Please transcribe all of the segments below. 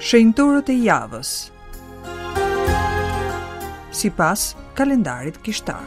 Shenjtorët e javës. Sipas kalendarit kishtar.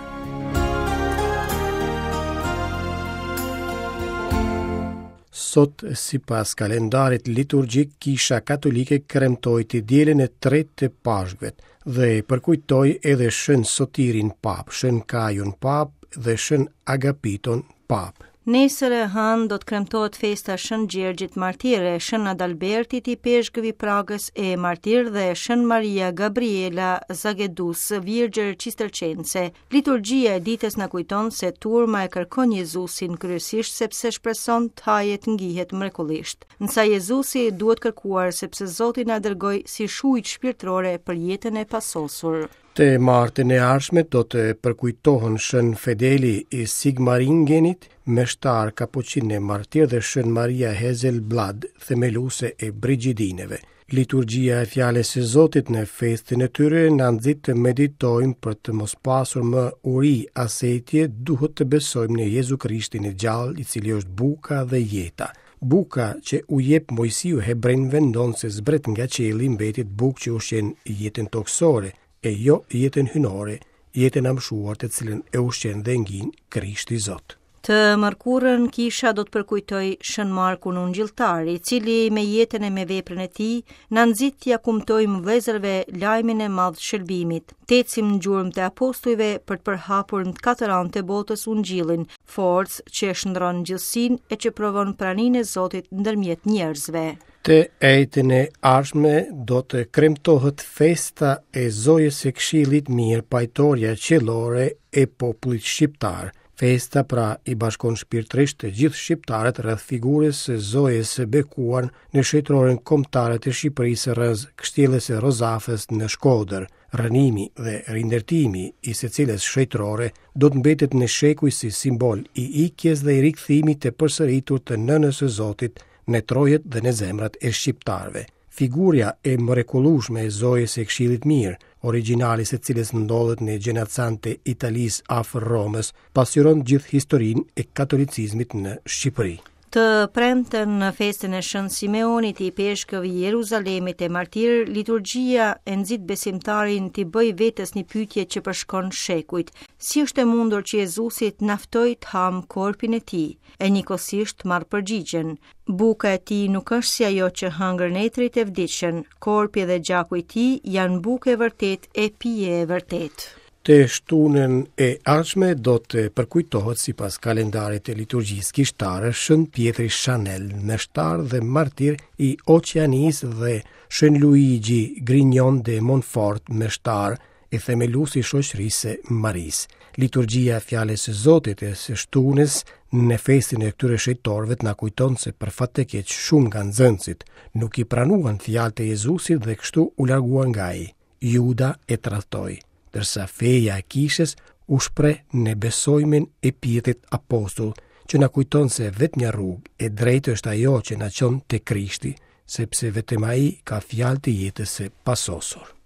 Sot, sipas kalendarit liturgjik, Kisha Katolike kremtoi të dielën e tretë të Pashkëve dhe përkujtoi edhe Shën Sotirin Papë, Shën Kajun Papë dhe Shën Agapiton Papë. Nesër e hënë do të kremtohet festa Shën Gjergjit Martir e Shën Adalbertit ipeshkëv i Pragës e Martir dhe Shën Maria Gabriela Zagedus, Virgjër Cistercense. Liturgjia e ditës na kujton se turma e kërkon Jezusin kryesisht sepse shpreson të hajë e të ngihet mrekullisht. Ndërsa Jezusi duhet kërkuar sepse Zoti na dërgoi si shujtë shpirtërore për jetën e pasosur. Të martën e ardhshme do të përkujtohen Shën Fedeli i Sigmaringenit, meshtar kapuçin e martir dhe Shën Maria Hezelblad, themeluese e Brigidineve. Liturgjia e Fjalës së Zotit në festën e tyre na nxit të meditojmë për të mos pasur më uri as etje, duhet të besojmë në Jezu Krishtin e gjallë, i cili është buka dhe jeta. Buka që u jep Moisiu hebrenjve ndonëse zbret nga qielli mbetet bukë që ushqen jetën tokësore, e jo jetën hyjnore, jetën e amshuar të cilën e ushqen dhe ngin Krishti Zot. Të mërkurën kisha do të përkujtojë Shën Markun Ungjilltar, i cili me jetën e me veprën e tij na nxit t'ia kumtojmë vëllezërve lajmin e madh të shëlbimit. Të ecim në gjurmët e apostujve për të përhapur në të katër anët e botës ungjillin, forcë që e shndërron gjithësinë e që provon praninë e Zotit ndërmjet njerëzve. Të enjten e ardhshme do të kremtohet festa e Zojës së Këshillit Mirë, pajtorja qiellore e popullit shqiptar. Festa pra i bashkon shpirtërisht të gjithë shqiptarët rreth figurës së Zojës së bekuar në Shenjtëroren Kombëtare të Shqipërisë rrëzë Kështjellës së Rozafës në Shkodër. Rrënimi dhe rindërtimi i së cilës shenjtërore do të mbetet në shekuj si simbol i ikjes dhe i rikthimit të përsëritur të Nënës së Zotit në trojet dhe në zemrat e shqiptarëve. Figura e mrekullueshme e Zojës së Këshillit Mirë, origjinali i së cilës ndodhet në Gjenacan të Italisë afër Romës, pasqyron gjithë historinë e katolicizmit në Shqipëri. Të premten në festën e Shën Simeonit, ipeshkëv i Jeruzalemit e martir, liturgjia e nxit besimtarin t'i bëjë vetes një pyetje që përshkon shekujt. Si është e mundur që Jezusi të na ftojë të hamë korpin e tij? E njëkohësisht marr përgjigjen. Buka e tij nuk është si ajo që hëngrën etërit e vdiqën. Korpi dhe gjaku i tij janë bukë e vërtetë e pije e vërtetë. Të shtunën e ardhshme do të përkujtohet sipas kalendarit të liturgjisë kishtare Shën Pjetri Shanel, meshtar dhe martir i Oqeanisë dhe Shën Luigi Grignion de Montfort, meshtar e themelues i shoqërisë së Marisë. Liturgjia e fjalës së Zotit e së shtunës në festën e këtyre shenjtorëve na kujton se për fat të keq shumë nga nxënësit nuk i pranuan fjalët e Jezusit dhe kështu u larguan nga ai. Juda e tradhtoi, ndërsa feja e kishës u shpreh në besojimin e Pjetrit apostull, që na kujton se e vetmja rrugë e drejtë është ajo që na çon te Krishti, sepse vetëm ai ka fjalë të jetës së pasosur.